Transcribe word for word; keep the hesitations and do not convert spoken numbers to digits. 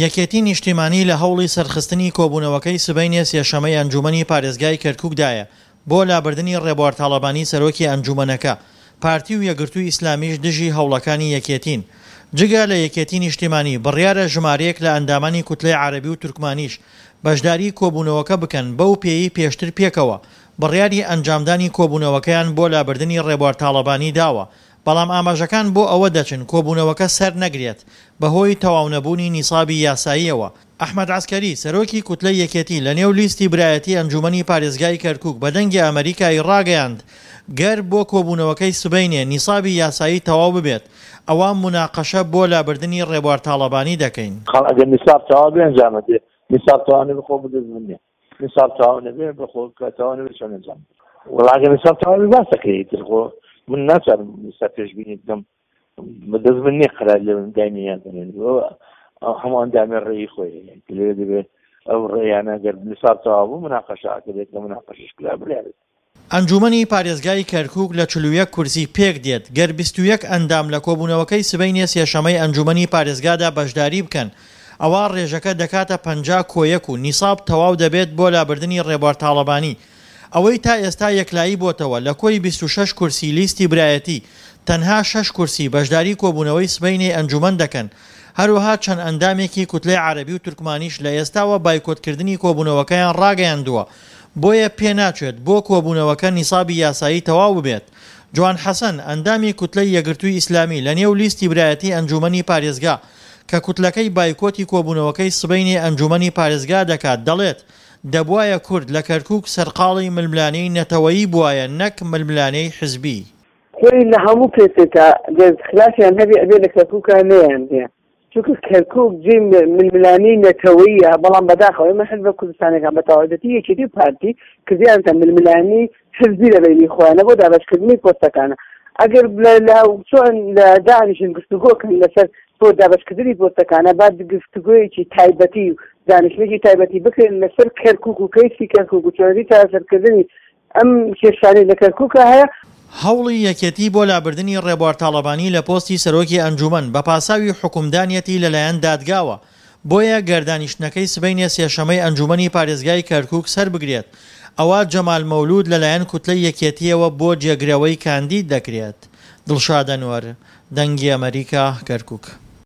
یەکێتی نیشتیمانی لە هەوڵی سەرخستنی کۆبوونەوەکەی سبەینێ سێشەمەی ئەنجوومەنی پارێزگای کەرکوکدایە بۆ لابردنی ڕێبوار تاڵەبانی سەرۆکی ئەنجوومەنەکە، پارتی و یەکگرتووی ئیسلامیش دژی هەوڵەکانی یەکێتین. جگە لە یەکێتی نیشتیمانی، بڕیارە ژمارەیەک لە ئەندامانی کوتلەی عەرەبی و تورکمانیش بەشداری کۆبوونەوەکە بکەن، بەو پێیەی پێشتر پێکەوە بڕیاری ئەنجامدانی کۆبوونەوەکەیان بۆ لابردنی ڕێبوار تاڵەبانی داوە، بەڵام ئاماژەکان بۆ ئەوە دەچن کۆبوونەوەکە سەرنەگرێت بەهۆی تەواونەبوونی نیسابی یاساییەوە. ئەحمەد عەسکەری، سەرۆکی کوتلەی یەکێتی لەنێو لیستی برایەتی ئەنجوومەنی پارێزگای کەرکوک بە دەنگی ئەمەریکای ڕاگەیاند، گەر بۆ کۆبوونەوەکەی سبەینێ نیسابی یاسایی تەواو ببێت، ئەوا موناقەشە بۆ لابردنی ڕێبوار تاڵەبانی دەکەین. خاڵ ئەگەر نیساب تەواو بێ ئەنجام ئەدرێ، نیساب تەواو نەبێ خۆ بەدەست من نیە، نیساب تەواو نەبێ بە خۆ کە تەواو نەبێ چۆن ئەنجام بدرێ؟ وەڵا ئەگەر نیساب تەواو بێ باس دەکرێ، ئیتر خۆ من ناچارم ئێستا پێشبینی بکەم، بەدەست من نیە قەرار لێ بم داینێ یان دەنێن. هەموو ئەندامێ ڕێی خۆی هەیە، لەوێ دەبێ ئەو ڕێیانە گەر نیساب تەواو بوو مناقەشە ئەکرێت، کە مناقەشەش کرا بڕیار. ئەنجوومەنی پارێزگای کەرکووک لە چل و یەک کورسی پێکدێت، گەر بیست و یەک ئەندام لە کۆبوونەوەکەی سبەینێ سێشەمەی ئەنجوومەنی پارێزگادا بەشداری بکەن، ئەوا ڕێژەکە دەکاتە پەنجا کۆ یەک و نیساب تەواو دەبێت بۆ لابردنی ڕێبوار تاڵەبانی. ئەوەی تا ئێستا یەکلایی بۆتەوە لە کۆی بیست و شەش کورسی لیستی برایەتی، تەنها شەش کورسی بەشداری کۆبوونەوەی سبەینێی ئەنجوومەن دەکەن، هەروەها چەند ئەندامێکی کوتلەی عەرەبی و تورکمانیش لە ئێستاوە بایکۆتکردنی کۆبوونەوەکەیان ڕاگەیاندووە، بۆیە پێناچێت بۆ کۆبوونەوەکە نیسابی یاسایی تەواو ببێت. جوان حەسەن، ئەندامی کوتلەی یەکگرتووی ئیسلامی لە نێو لیستی برایەتی ئەنجوومەنی پارێزگا کە کوتلەکەی بایکۆتی کۆبوونەوەکەی سبەینێ ئەنجوومەنی پارێزگا دەکات، دەڵێت، دەبوایە کورد لە کەرکووک سەرقاڵی ململانێی نەتەوەیی بوایە نەک ململانێی حزبی. خۆی لە هەموو کەسێکا گەر خلافیان هەبێ ئەبێ لە کەرکووکا نەیان بێ، چونکە کەرکووک جێی ململانێی نەتەوەییە، بەڵام بەداخەوە ئێمە حزبە کوردستانیەکان بە تەواوەتی یەکێتی و پارتی کردیانتە ململانێی حزبی لە بەینی خۆیانە بۆ دابەشکردنی پۆستەکانە. ئەگەر لە چۆن لە دانیشن گفتوگۆ کەن لەسەر بۆ دابەشکردنی پۆستەکانە، با گفتوگۆیەکی تایبەتی و دانیشتنێکی تایبەتی بکرێن لەسەر کەرکووک و کەیسی کەرکووک و چۆنێتی چارەسەرکردنی ئەم کێشانەی لە کەرکووکا هەیە. هەوڵی یەکێتی بۆ لابردنی ڕێبوار تاڵەبانی لە پۆستی سەرۆکی ئەنجوومەن بە پاساوی حوکمدانیەتی لەلایەن دادگاوە، بۆیە گەر دانیشتنەکەی سبەینێ سێشەمەی ئەنجوومەنی پارێزگای کەرکووک سەربگرێت، ئەوا جەمال مەولوود لەلایەن کوتلەی یەکێتییەوە بۆ جێگرەوەی کاندید دەکرێت. دڵشاد ئەنوەر، دەنگی ئەمەریکا، کەرکووک.